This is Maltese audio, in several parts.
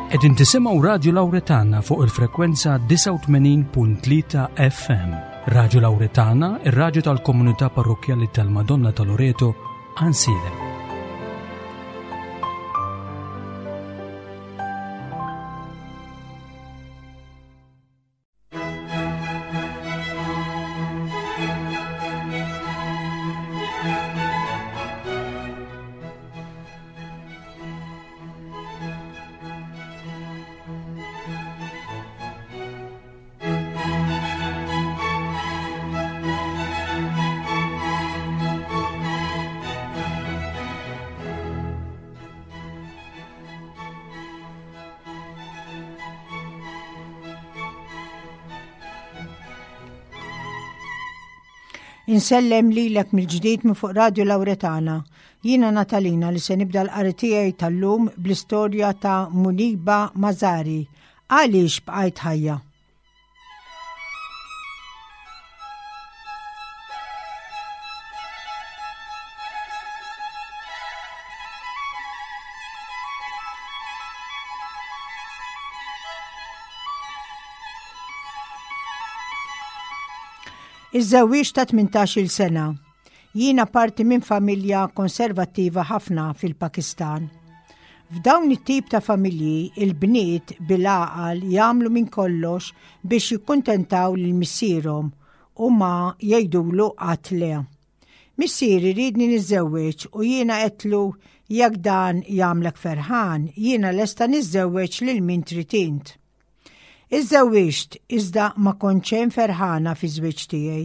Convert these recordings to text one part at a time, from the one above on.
Qegħdin tisimgħu Radju Lawretana fuq il-frekwenza 89.3 FM. Radju Lawretana, ir-radju tal-komunità parrokkjali tal-Madonna ta' Loreto, Ansiedem. Insellem lilek mill-ġdid minn fuq Radio Lauretana. Jiena Natalina li se nibda l-qari tiegħi tal-lum bl-istorja ta' Muniba Mazari. Għaliex bqajt ħajja? Iż-żewwieġ ta' 18-il sena. Jiena parti minn familja konservattiva ħafna fil-Pakistan. F'dawn it-tip ta' familji, il-bniet bil-għaqal jagħmlu minn kollox biex jikkuntentaw lil missierhom u ma jgħidulu qatt le. Missieri riedni niżżewweġ u jiena għedtlu jekk dan jagħmlek ferħan, jiena lesta niżżewweġ lil min trid int. Iżżewwiġt iżda ma kont xejn ferħana fiż-żwieġ tiegħi.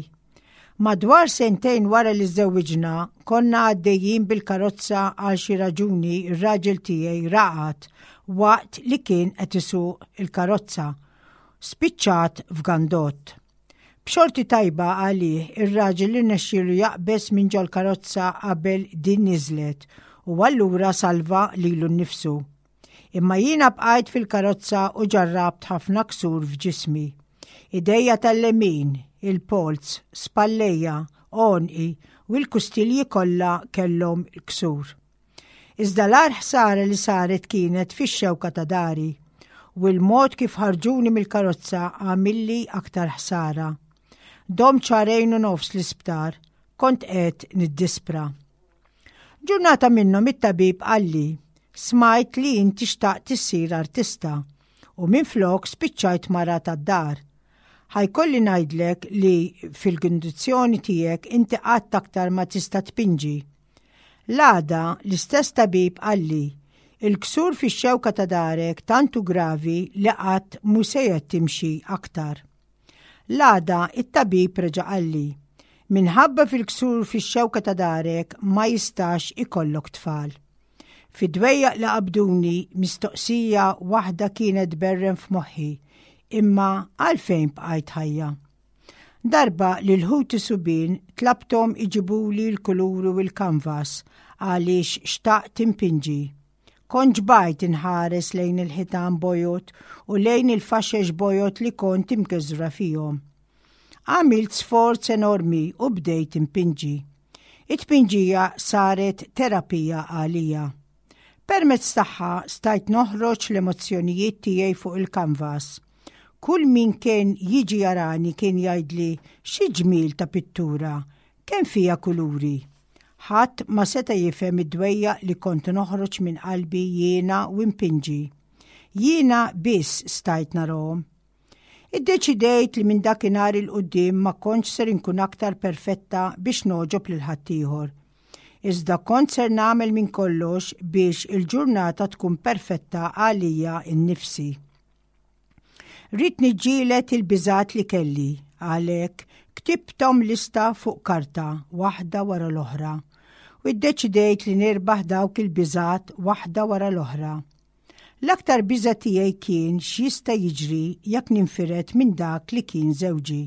Madwar sentejn wara li żżewwiġna, konna għaddejjin bil-karozza għal xi raġuni r-raġel tiegħi raqad waqt li kien qed isuq il-karozza. Spiċċat f'gandott. B'xorti tajba għalih, ir-raġel irnexxielu jaqbeż minn ġol-karozza qabel din niżlet u allura salva lilu nnifsu. Imma jiena bqajt fil-karozza u ġarrabt ħafna ksur f'ġismi. Idejja tal-lemin, il-polz, spallejja, għonqi u l-kustilji kollha kellhom il-ksur. Iżda l-agħar ħsara li saret kienet fix-xewka ta' dari u l-mod kif ħarġuni mill-karozza għamilli aktar ħsara. Domt xahrejn u nofs l-isptar, kont qed niddispra. Ġurnata minnhom it-tabib qalli, smajt li inti xtaqt issir artista u minflok spiċċajt mara tad-dar. Ħa jkolli ngħidlek li fil-kundizzjoni tiegħek inti qatt aktar ma tista' tpinġi. L-għada, l-istess tabib qalli, Il-ksur fix-xewka ta' darek tant hu gravi li qatt mhu sejjer timxi aktar. L-għada, it-tabib reġa' qalli, Minħabba fil-ksur fix-xewka ta' darek ma jistax ikollok tfal. Fid-dwejjaq li qabduni, mistoqsija waħda kienet tberren f'moħħi, imma għalfejn bqajt ħajja? Darba lil ħuti subien tlabthom iġibuli l-kuluri u l-kanvas għaliex xtaqt inpinġi. Kont ġbajt inħares lejn il-ħitan bojod u lejn il-faxex bojod li kont imkeżra fihom. Għamilt sforz enormi u bdejt inpinġi. It-tpinġija saret terapija għalija. Permezz tagħha stajt noħroġ l-emozzjonijiet tiegħi fuq il-kanvas. Kull min kien jiġi jarani kien jgħidli xi ġmiel ta' pittura, kemm fiha kuluri. Ħadd ma seta' jifhem id-dwejjaq li kont noħroġ minn qalbi jiena u npinġi. Jiena biss stajt narahom. Iddeċidejt li minn dakinhar 'il quddiem ma kontx ser inkun aktar perfetta biex nogħġob lil ħaddieħor. Iżda kont ser nagħmel minn kollox biex il-ġurnata tkun perfetta għalija nnifsi. Ridt niġġieled il-biżgħat li kelli, għalhekk ktibthom lista fuq karta waħda wara l-oħra u ddeċidejt li nirbaħ dawk il-biżgħat waħda wara l-oħra. L-aktar biża' tiegħi kien x'jista' jiġri jekk ninfired minn dak li kien żewġi.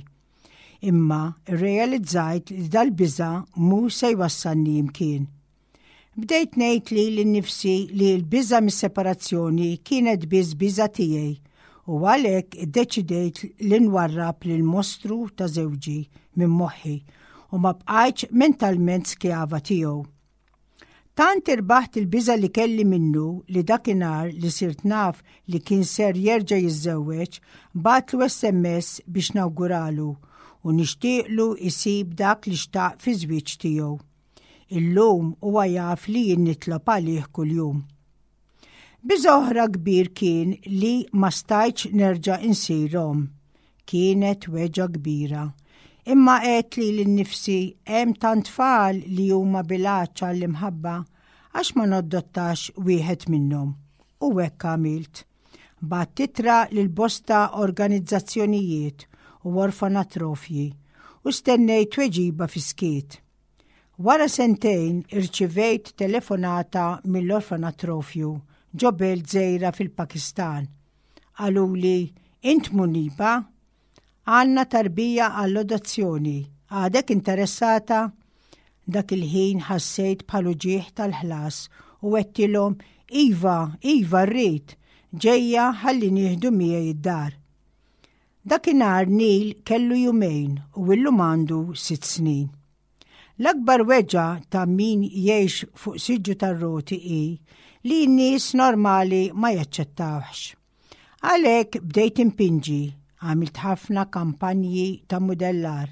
Imma rrealizzajt li dal-biża' mhu se jwassalni imkien. Bdejt ngħid lili nnifsi li l-biża' mis-separazzjoni kienet biss biża' tiegħi u għalhekk iddeċidejt li nwarrab lill-mostru ta' żewġi minn moħħi u ma bqajtx mentalment skjava tiegħu. Tant irbaħt il-biża' li kelli minnu li dakinhar li sirt naf li kien ser jerġa' jiżżewweġ, bgħattlu SMS biex nawguralu u nixtieqlu jsib dak li xtaq fiż-żwieġ tiegħu. Illum huwa jaf li jien nitlob għalih kuljum. Biża' oħra kbir kien li ma stajtx nerġa' insir omm. Kienet weġgħa kbira. Imma għedt lili nnifsi hemm tant tfal li huma bil-għatx għall-imħabba, għax ma noddottax wieħed minnhom? U hekk għamilt. Bgħatt ittra lil bosta organizzazzjonijiet u orfanatrofji u stennejt tweġiba fis-skiet. Wara sentejn irċivejt telefonata mill-orfanatrofju ġo belt żgħira fil-Pakistan. Qaluli, Int Muniba? Għandna tarbija għall-adozzjoni, għadek interessata? Dak il-ħin ħassejt bħal uġigħ tal-ħlas u għedtilhom, Iva, iva rrid, ġejja ħalli nieħdu miegħi d-dar. Dakinhar Neil kellu jumejn u illum għandu sitt snin. L-akbar weġgħa ta' min jgħix fuq siġġu tar-roti hi li n-nies normali ma jaċċettawhx. Għalhekk bdejt impinġi, għamilt ħafna kampanji ta' mudellar,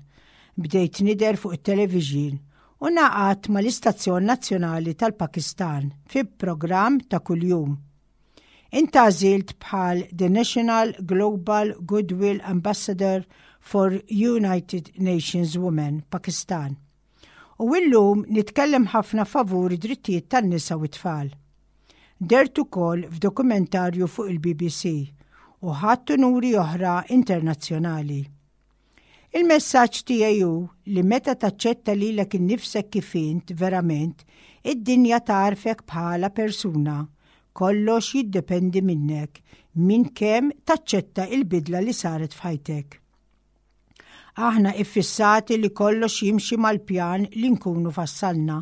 bdejt nidher fuq it-television u ngħaqadt mal-istazzjon nazzjonali tal-Pakistan fi programm ta' kuljum. Intgħażilt bħal The National Global Goodwill Ambassador for United Nations Women, Pakistan. U illum nitkellem ħafna favur id-drittijiet tan-nisa u t-tfal. Dert ukoll f'dokumentarju fuq il-BBC u ħadt unuri oħra internazzjonali. Il-messaġġ tiegħi hu li meta taċċetta lilek innifsek kif int verament, id-dinja tagħrfek bħala persuna. Kollox jiddependi minnek, minn kemm taċċetta il-bidla li saret f'ħajtek. Aħna iffissati li kollox jimxi mal-pjan li nkunu fassalna.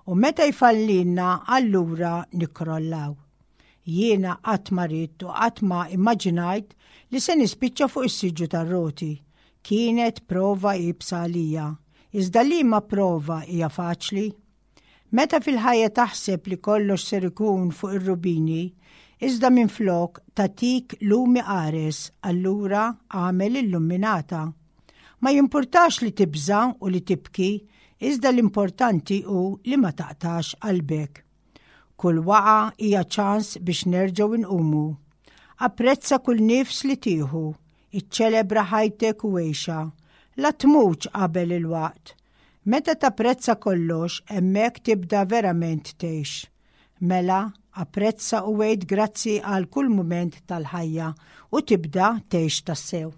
U meta jfallilna allura nikkrollaw. Jiena qatt ma ridt u qatt ma immaġinajt li se nispiċċa fuq is-siġġu tar-roti. Kienet prova iebsa għalija. Iżda liema prova hija faċli? Meta fil-ħajja taħseb li kollox ser ikun fuq ir-rubini, iżda minflok tagħtik lumi qares, allura agħmel il-lumminata. Ma jimpurtax li tibża' u li tibki, iżda l-importanti hu li ma taqtax qalbek. Kull waqgħa hija ċans biex nerġgħu nqumu. Apprezza kull nifs li tieħu, iċċelebra ħajtek u għixha. La tmutx qabel il-waqt. Meta tapprezza kollox, hemmhekk tibda verament tgħix. Mela, apprezza u għid grazzi għal kull mument tal-ħajja u tibda tgħix tassew.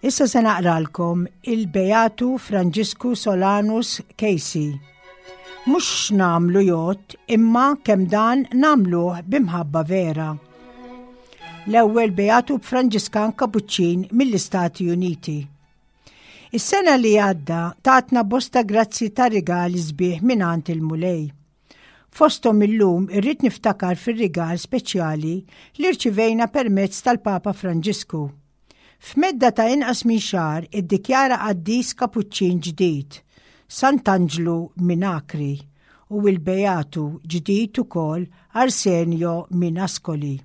Issa se naqralkom il-Beatu Franġisku Solanus Casey. Mhux x'nagħmlu jgħodd imma kemm dan nagħmluh b'imħabba vera. L-ewwel Beatu Franġiskan Kapuċċin mill-Istati Uniti. Is-sena li għadda tatna bosta grazzi ta' rigali sbieħ mingħand il-Mulej. Fosthom illum irrid niftakar fir-rigal speċjali li rċivejna permezz tal-Papa Franġisku. F'medda ta' inqas minn xahar iddikjara qaddis Kapuċċin ġdid, Sant'Anġlu minn Acri, u l-Beatu ġdid ukoll Arsenio minn Ascoli.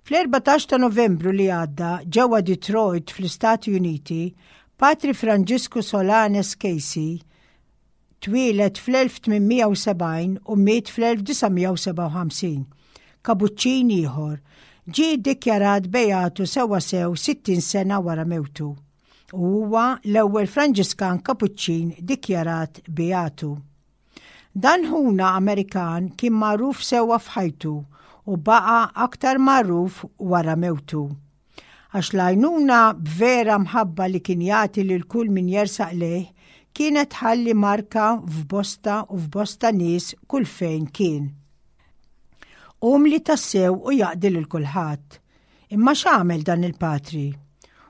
Fl-14 ta' Novembru li għadda ġewwa Detroit fl-Istati Uniti, Patri Franġisku Solanes Casey twieled fl-1870 u miet fl-1957. Kabuċċin ieħor, ġie ddikjarat beatu sewwasew 60 sena wara mewtu u huwa l-ewwel Franġiskan Kapuċċin dikjarat beatu. Dan ħuna Amerikan kien magħruf sewwa f'ħajtu u baqa' aktar magħruf wara mewtu. Għax l-għajnuna b'vera mħabba li kien jagħti lil kull min jersaq lejh kienet tħalli marka f'bosta u f'bosta nies kull fejn kien. Umli tassew u jaqdi lil kulħadd. Imma x'għamel dan il-patri?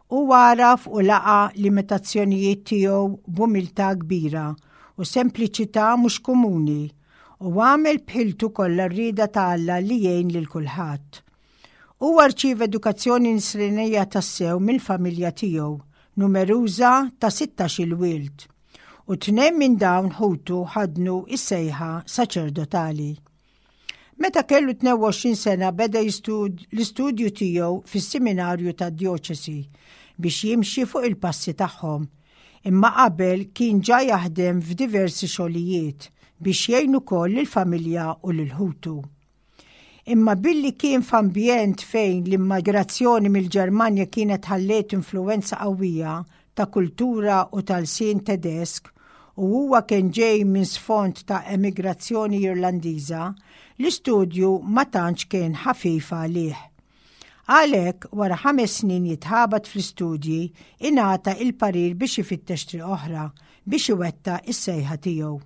Hu għaraf u laqa' limitazzjonijiet tiegħu b'umiltà kbira u sempliċità mhux komuni u għamel b'ħiltu kollha r-rieda ta' Alla li jgħin lil kulħadd. Huwa rċieva edukazzjoni nisranija tassew mill-familja tiegħu, numeruża ta' sittax-il wild, u tnejn minn dawn ħutu ħaddnu s-sejħa saċerdotali. Meta kellu 22 sena beda l-istudju tiegħu fis-seminarju tad-djoċesi biex jimxi fuq il-passi tagħhom. Imma qabel kien ġa jaħdem f'diversi xogħlijiet biex jgħin ukoll lill-familja u lil ħutu. Imma billi kien f'ambjent fejn l-immigrazzjoni mill-Ġermanja kienet ħalliet influwenza qawwija ta' kultura u ta' lsien Tedesk u huwa kien ġej minn sfond ta' emigrazzjoni Irlandiża, l-istudju ma tantx kien ħafif għalih. Għalhekk, wara ħames snin jitħabat fl-istudji, ingħata il-parir biex ifittex triq oħra biex iwettaq is-sejħa tiegħu.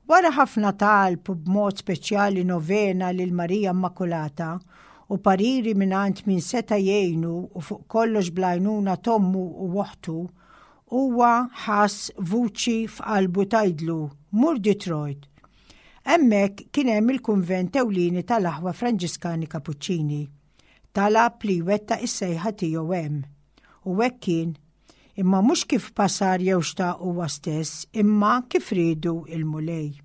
Wara ħafna talb u b'mod speċjali novena lil Marija Immakulata u pariri mingħand min seta' jgħinu u fuq kollox bl-għajnuna t'ommu u oħtu, huwa ħass vuċi f'qalbu tgħidlu, Mur Detroit. Hemmhekk kien hemm il-kunvent ewlieni tal-Aħwa Franġiskani Kapuċċini. Talab li jwettaq is-sejħa tiegħu hemm. U hekk kien. Imma mhux kif basar jew xtaq huwa stess, imma kif riedu il-Mulej.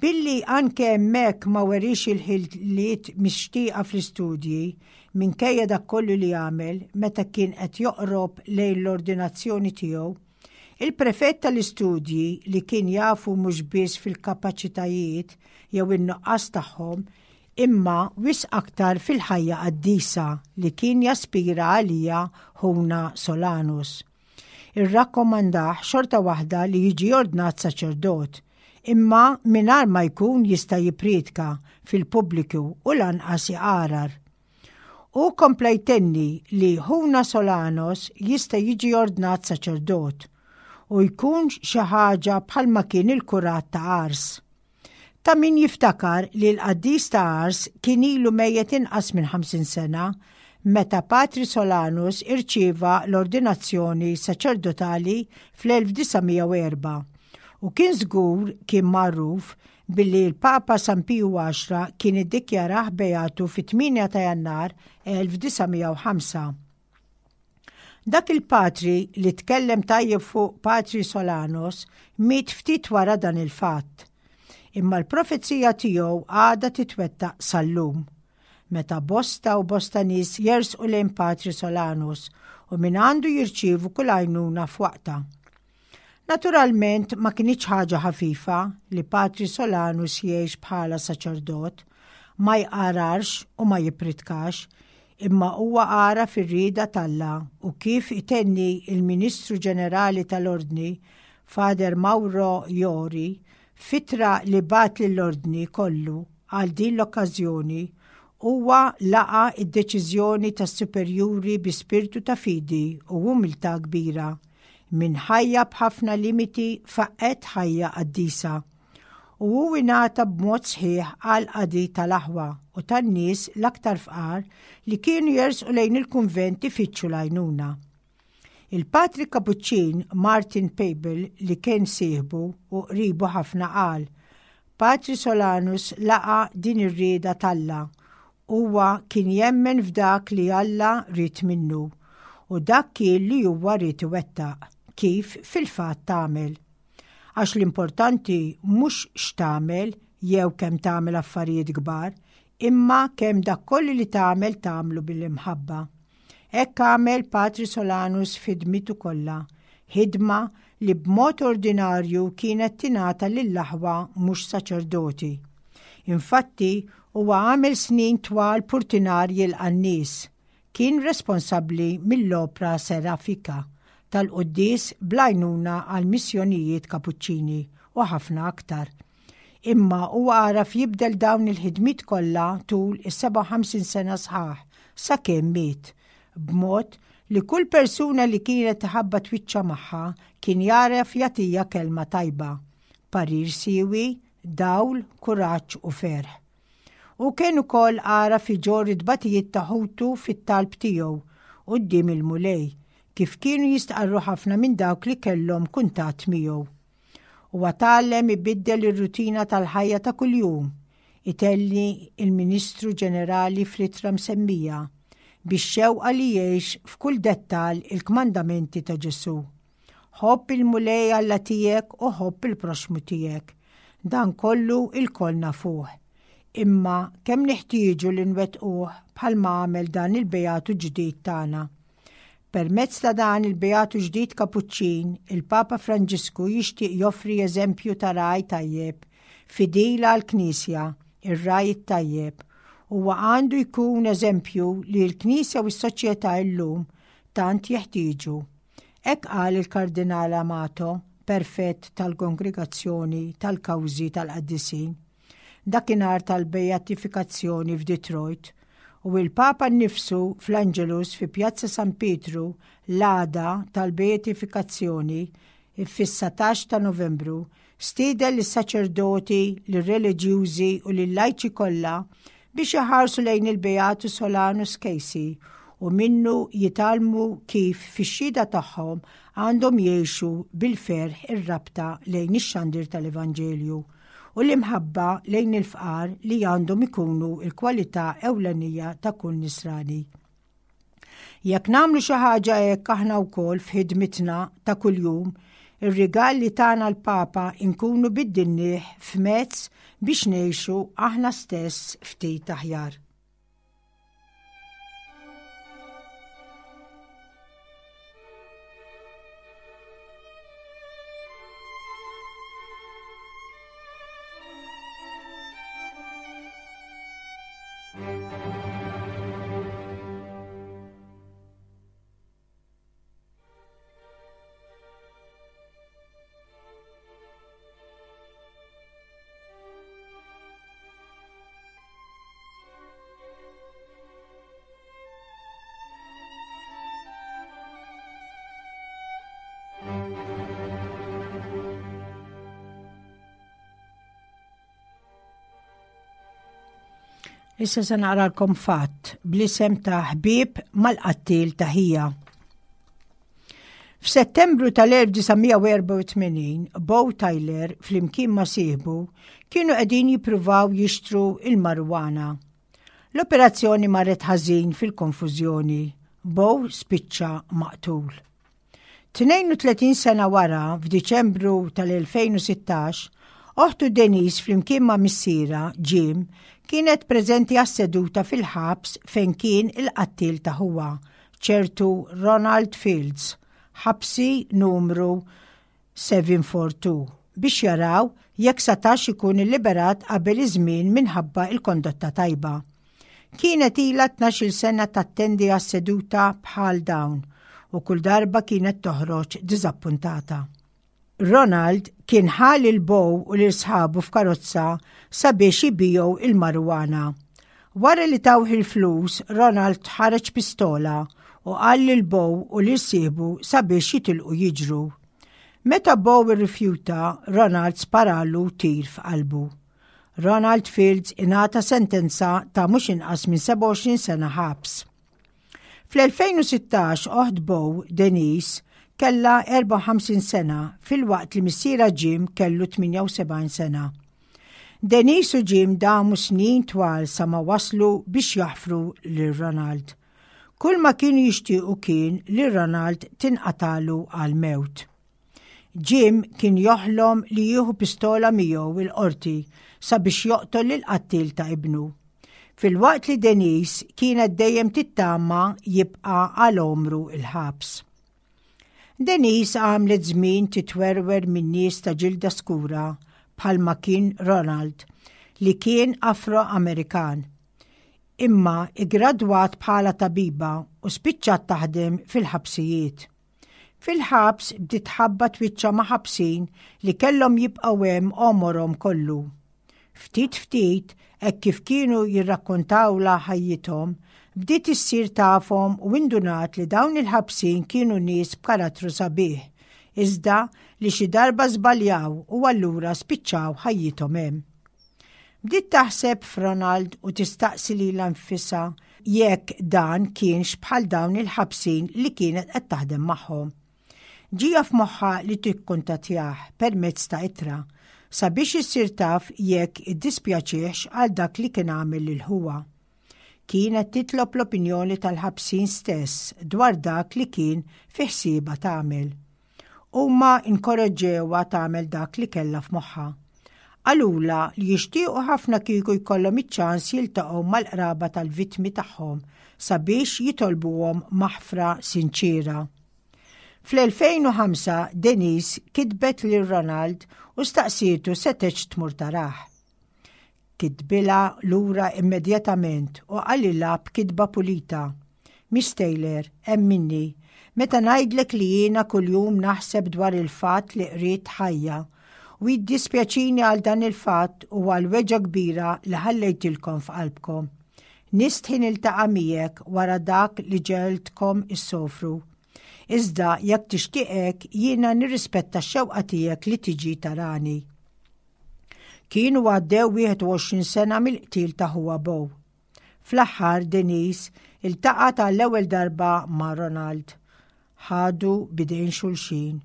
Billi anke hemmhekk ma weriex il-ħiliet mixtieqa fl-istudji, minkejja dak kollu li għamel meta kien qed joqrob lejn l-ordinazzjoni tiegħu, il-prefett tal-istudji li kien jafu mhux biss fil-kapaċitajiet jew in-nuqqas tagħhom, imma wisq aktar fil-ħajja qaddisa li kien jaspira għaliha ħuna Solanus. Irrakkomandah xorta waħda li jiġi ordnat saċerdot, imma mingħajr ma jkun jista' jippriedka fil-pubbliku u lanqas iqarar. Hu kompla jtenni li ħuna Solanos jista' jiġi ordnat saċerdot u jkun xi ħaġa bħalma kien il-kurat ta' Ars. Ta' min jiftakar li l-qaddis ta' Ars kien ilu mejjet inqas minn 50 sena meta Patri Solanus irċieva l-ordinazzjoni saċerdotali fl-1904 u kien żgur kien magħruf billi l-Papa San Piju Għaxra kien iddikjarah beatu fit-8 ta' Jannar 1905. Dak il-patri li tkellem tajjeb fuq Patri Solanos miet ftit wara dan il-fatt. Imma l-profezija tiegħu għadha titwettaq sal-lum. Meta bosta u bosta nies jersqu lejn Patri Solanus u minn għandu jirċievu kull għajnuna f'waqtha. Naturalment ma kinitx ħaġa ħafifa li Patri Solanus jgħix bħala saċerdot, ma jqararx u ma jippritkax, imma huwa għaraf ir-rieda t'Alla u kif itenni il-Ministru Ġenerali tal-Ordni, Father Mauro Jori, f'ittra li bagħat lill-Ordni kollu għal din l-okkażjoni, huwa laqa' d-deċiżjoni tas-superjuri bi spirtu ta' fidi u umiltà kbira. Minn ħajja b'ħafna limiti faqqgħet ħajja qaddisa. U hu ingħata b'mod sħiħ għall-qadi tal-aħwa u tan-nies l-aktar fqar li kienu jersqu lejn il-kunvent ifittxu l-għajnuna. Il-Patri Kapuċċin Martin Pabel li kien sieħbu u qribu ħafna qal, Patri Solanus laqa' din ir-rieda t'Alla Huwa kien jemmen f'dak li Alla ried minnu, u dak kien li huwa ried iwettaq, kif fil-fatt għamel. Għax l-importanti mhux x'tagħmel jew kemm tagħmel affarijiet kbar, imma kemm dak kollu li tagħmel tagħmlu bil-imħabba. Hekk għamel Patri Solanus f'ħidmitu kollha, ħidma li b'mod ordinarju kienet tingħata lill-aħwa mhux saċerdoti. Infatti, huwa għamel snin twal purtinar jilqa' n-nies. Kien responsabbli mill-opra Serafika tal-quddies bl-għajnuna għall-missjonijiet Kapuċċini. u ħafna aktar. Imma huwa għaraf jibdel dawn il-ħidmiet kollha tul is-57 sena sħaħ sakemm miet, b'mod li kull persuna li kienet tħabbat wiċċha magħha kien jagħraf jagħtiha kelma tajba, parir siewi, dawl, kuraġġ u ferħ. Hu kien ukoll għaraf iġorr it-tbatijiet ta' ħutu fit-talb tiegħu quddiem il-Mulej, kif kienu jistqarru ħafna minn dawk li kellhom kuntatt miegħu. Huwa tgħallem ibiddel ir-rutina tal-ħajja ta' kuljum, itelli il-Ministru Ġenerali fl-ittra msemmija, bix-xewqa li jgħix f'kull dettall il-kmandamenti ta' Ġesù. Ħobb il-Mulej Alla tiegħek u ħobb il-proxxmu tiegħek. Dan kollu ilkoll nafuh. Imma kemm neħtieġu li nwettquh bħalma għamel dan il-Beatu ġdid tagħna. Permezz ta' dan il-Beatu ġdid Kapuċċin, il-Papa Franġisku jixtieq joffri eżempju ta' ragħaj tajjeb, fidil għall-Knisja, ir-ragħaj it-tajjeb. Huwa għandu jkun eżempju li l-Knisja u s-soċjetà illum tant jeħtieġu. Hekk qal il-Kardinal Amato, Perfett tal-Kongregazzjoni tal-Kawżi tal-Qaddisin, dakinhar tal-beatifikazzjoni f'Detroit, u l-Papa nnifsu fl-Angelus fi Pjazza San Pietru l-għada tal-beatifikazzjoni fis-satax ta' Novembru stieden lis-saċerdoti, lir-reliġjużi u lil-lajċi kollha biex iħarsu lejn il-Beatu Solanus Casey u minnu jitgħallmu kif fix-xhieda tagħhom għandhom jgħixu bil-ferħ ir-rabta lejn ix-xandir tal-Evanġelju u l-imħabba lejn il-fqar li għandhom ikunu l-kwalità ewlenija ta' kull Nisrani. Jekk nagħmlu xi ħaġa hekk aħna wkoll f'ħidmitna ta' kuljum, ir-rigal li tana l-Papa nkunu biddilnieh f'mezz biex ngħixu aħna stess ftit aħjar. Issa se naqralkom fatt bl-isem ta' ħbieb mal-qattil ta' ħija. F'Settembru tal-1984, Bo Tyler flimkien ma' sieħbu kienu qegħdin jippruvaw jixtru il-marijuana. L-operazzjoni marret ħażin fil-konfużjoni. Bo spiċċa maqtul. 32 sena wara, f'Diċembru tal-2016, oħtu Denise flimkien ma' missierha, Jim, kienet preżenti għas-seduta fil-ħabs fejn kien il-qattiel ta' ħuha, ċertu Ronald Fields, ħabsi numru 742, biex jaraw jekk setax ikun illiberat qabel iż-żmien minħabba l-kondotta tajba. Kienet ilha 12-il sena tattendi għas-seduta bħal dawn u kull darba kienet toħroġ diżappuntata. Ronald kien ħa lil Bo u lil sħabu f'karozza sabiex ibigħu il-marijuana. Wara li tawh il-flus, Ronald ħareġ pistola u qal lil Bo u lil sieħbu sabiex jitilqu jiġru. Meta Bo irrifjuta, Ronald sparalu tir f'qalbu. Ronald Fields ingħata sentenza ta' mhux inqas minn 27 sena ħabs. Fl-2016 oħt Bo, Denise, kellha 54 sena filwaqt li missierha Jim kellu 78 sena. Denise u Jim damu snin twal sa ma waslu biex jaħfru lil Ronald. Kull ma kienu jixtiequ kien li Ronald tinqatalu għal mewt. Jim kien joħlom li jieħu pistola miegħu il-qorti sabiex joqtol lill-qattiel ta' ibnu. Filwaqt li Denise kienet dejjem tittama jibqa' għal għomru il-ħabs. Denise għamlet żmien titwerwer minn nies ta' ġilda skura bħalma kien Ronald li kien Afro-Amerikan. Imma iggradwat bħala tabiba u spiċċat taħdem fil-ħabsijiet. Fil-ħabs bdiet tħabbat wiċċha ma' ħabsin li kellhom jibqgħu hemm għomorhom kollu. Ftit ftit, hekk kif kienu jirrakkontawlha ħajjithom, bdiet issir tafhom u indunat li dawn il-ħabsin kienu nies b'karattru sabiħ, iżda li xi darba żbaljaw u allura spiċċaw ħajjithom hemm. Bdiet taħseb f'Ronald u tistaqsi lilha nfisha jekk dan kienx bħal dawn il-ħabsin li kienet qed taħdem magħhom. Ġija f'moħħha li tikkuntattjah permezz ta' ittra sabiex issir taf jekk iddispjaċihx għal dak li kien għamel lil ħuha. Kienet titlob l-opinjoni tal-ħabsin stess dwar dak li kien fi ħsiebha tagħmel. Huma inkoraġġewha tagħmel dak li kellha f'moħħha. Qalulha li jixtiequ ħafna kieku jkollhom iċ-ċans jiltaqgħu mal-qraba tal-vittmi tagħhom sabiex jitolbuhom maħfra sinċiera. Fl-2005 Denise kitbet lil Ronald u staqsietu setgħetx tmur tarah. Kitbilha lura immedjatament u qalilha b'kitba pulita, Miss Taylor, emminni, meta ngħidlek li jiena kuljum naħseb dwar il-fatt li qridt ħajja, u jiddispjaċini għal dan il-fatt u għall-weġgħa kbira li ħallejtilkom f'qalbkom. Nistħi niltaqa' miegħek wara dak li ġegħeltkom issofru. Iżda jekk tixtieq hekk jiena nirrispetta x-xewqa tiegħek li tiġi tarani. Kienu għaddew 21 sena mill-qtil ta' ħuha Beau. Fl-aħħar Denise iltaqgħet għall-ewwel darba ma' Ronald. Ħadu b'idejn xulxin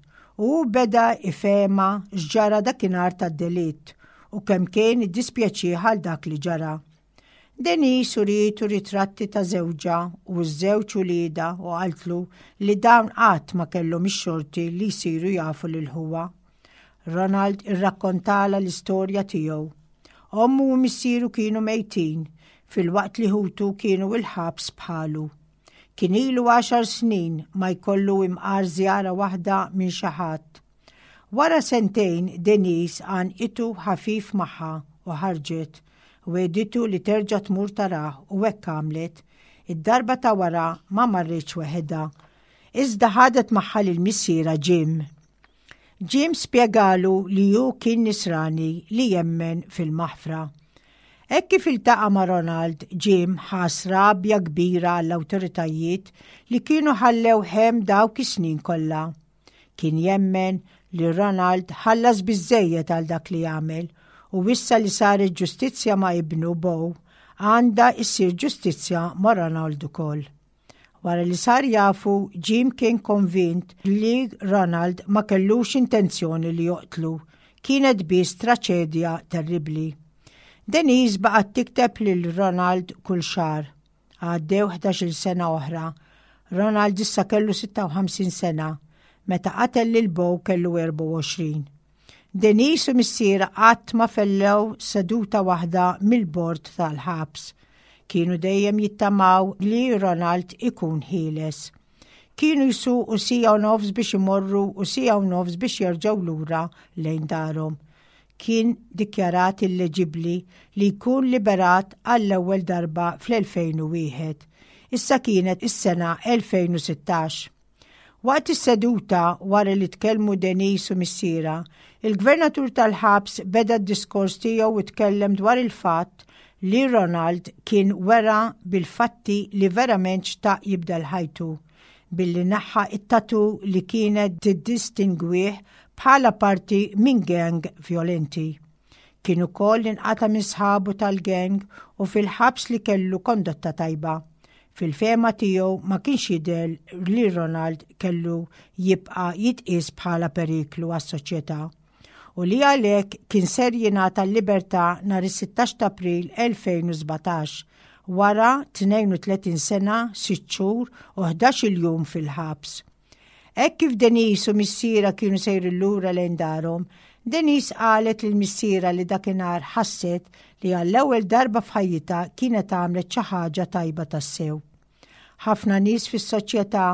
u hu beda ifehmha x'ġara dakinhar tad-delitt u kemm kien iddispjaċih għal dak li ġara. Denise urietu ritratti ta' żewġha u ż-żewġ uliedha u qaltlu li dawn qatt ma kellhom ix-xorti li jsiru jafu lil ħuha. Ronald irrakkontalha l-istorja tiegħu. Ommu u missieru kienu mejtin, filwaqt li ħutu kienu il-ħabs bħalu. Kien ilu għaxar snin ma jkollu imqar żjara waħda minn xi ħadd. Wara sentejn Denise għannqitu ħafif magħha u ħarġet. Wegħditu li terġa' tmur tarah u hekk għamlet. Id-darba ta' wara ma marritx weħidha. Iżda ħadet magħha lil missierha Jim. Jim spjegalu li hu kien Nisrani li jemmen fil-maħfra. Hekk kif iltaqa' ma' Ronald, Jim ħass rabja kbira għall-awtoritajiet li kienu ħallew hemm dawk is-snin kollha. Kien jemmen li Ronald ħallas biżżejjed għal dak li għamel u issa li saret ġustizzja ma' ibnu Beau, għandha issir ġustizzja ma' Ronald ukoll. Wara li sar jafu, Jim kien konvint li Ronald ma kellux intenzjoni li joqtlu, kienet biss traċedja terribbli. Denise baqgħet tikteb lil Ronald kull xahar. Għaddew 11-il sena oħra. Ronald issa kellu 56 sena. Meta qatel lil Beau kellu 24. Denise u missierha qatt ma fellew seduta waħda mill-bord tal-ħabs. Kienu dejjem jittamaw li Ronald ikun ħieles. Kienu jsuqu siegħa u nofs biex imorru u siegħa u nofs biex jerġgħu lura lejn darhom. Kien dikjarat illeġibbli li jkun liberat għall-ewwel darba fl-2001. Issa kienet is-sena 2016. Waqt is-seduta, wara li tkellmu Denise u missierha, il-Gvernatur tal-ħabs beda d-diskors tiegħu u tkellem dwar il-fatt li Ronald kien wera bil-fatti li verament xtaq jibdel ħajtu billi neħħa t-tattoo li kienet tiddistingwih bħala parti minn gang vjolenti. Kien ukoll inqata' minn sħabu tal-gang u fil-ħabs li kellu kondotta tajba. Fil-fehma tiegħu ma kienx jidher li Ronald kellu jibqa' jitqies bħala periklu għas-soċjetà u li għalhekk kien ser jingħata l-libertà nhar is-16 ta' April 2017 wara 32 sena, sitt xhur u 11-il jum fil-ħabs. Hekk kif Denise u missierha kienu sejrin lura lejn darhom, Denise qalet lil missierha li dakinhar ħasset li għall-ewwel darba f'ħajjitha kienet għamlet xi ħaġa tajba tassew. Ħafna nies fis-soċjetà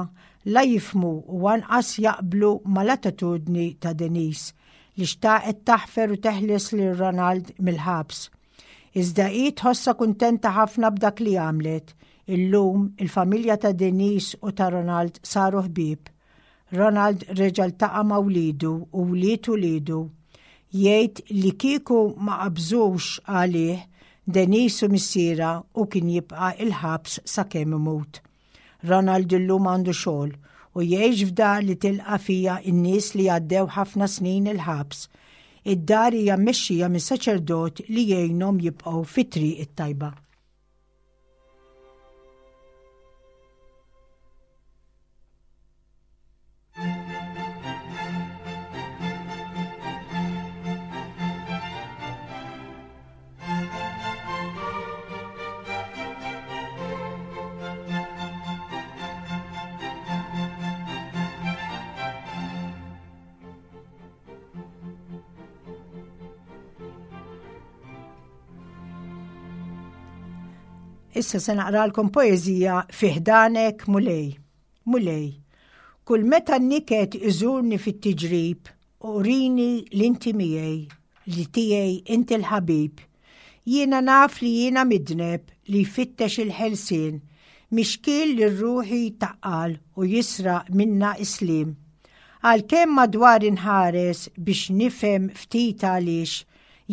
la jifhmu u anqas jaqblu mal-attitudni ta' Denise li xtaqet taħfer u teħles lil Ronald mill-ħabs. Iżda hi tħossha kuntenta ħafna b'dak li għamlet. Illum, il-familja ta' Denise u ta' Ronald saru ħbieb. Ronald reġa' ltaqa' ma' wliedu u wlied uliedu. Jgħid li kieku ma qabżux għalih Denise u missierha hu kien jibqa' il-ħabs sakemm imut. Ronald illum għandu xogħol u jgħix f'dar li tilqa' fiha n-nies li għaddew ħafna snin il-ħabs. Id-dar hija mmexxija minn saċerdot li jgħinhom jibqgħu fit-triq it-tajba. Issa se naqralkom poeżija Fi ħdanek Mulej. Mulej, kull meta n-niket iżurni fit-tiġrib, urini li inti miegħi, li tiegħi inti l-ħabib. Jiena naf li jiena midneb li jfittex il-ħelsien, mixkiel li ruħi jtaqqal u jisraq minna is-sliem. Għalkemm madwari nħares biex nifhem ftit għaliex,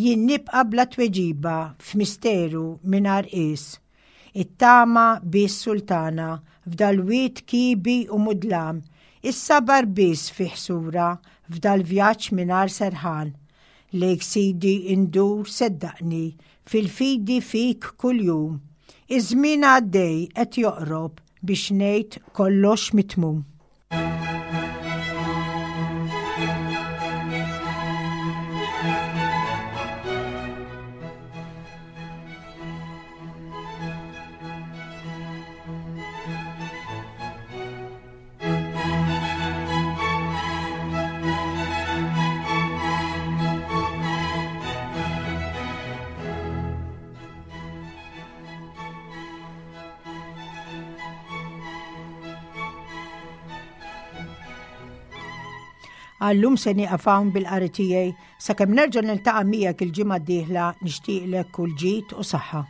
jien nibqa' bla tweġiba f'misteru mingħajr qies. It-tama biss sultana f'dal-wied kiebi u mudlam, is-sabar biss fih sura f'dal-vjaġġ mingħajr serħan. Lejk Sidi ndur seddaqni, fil-fidi fik kuljum. Iż-żmien għaddej qed joqrob biex ngħid kollox mitmum. Għallum se nieqaf hawn bil-qari tiegħi sakemm nerġa' niltaqa' miegħek il-ġimgħa d-dieħla nixtieqlek kull ġid u saħħa.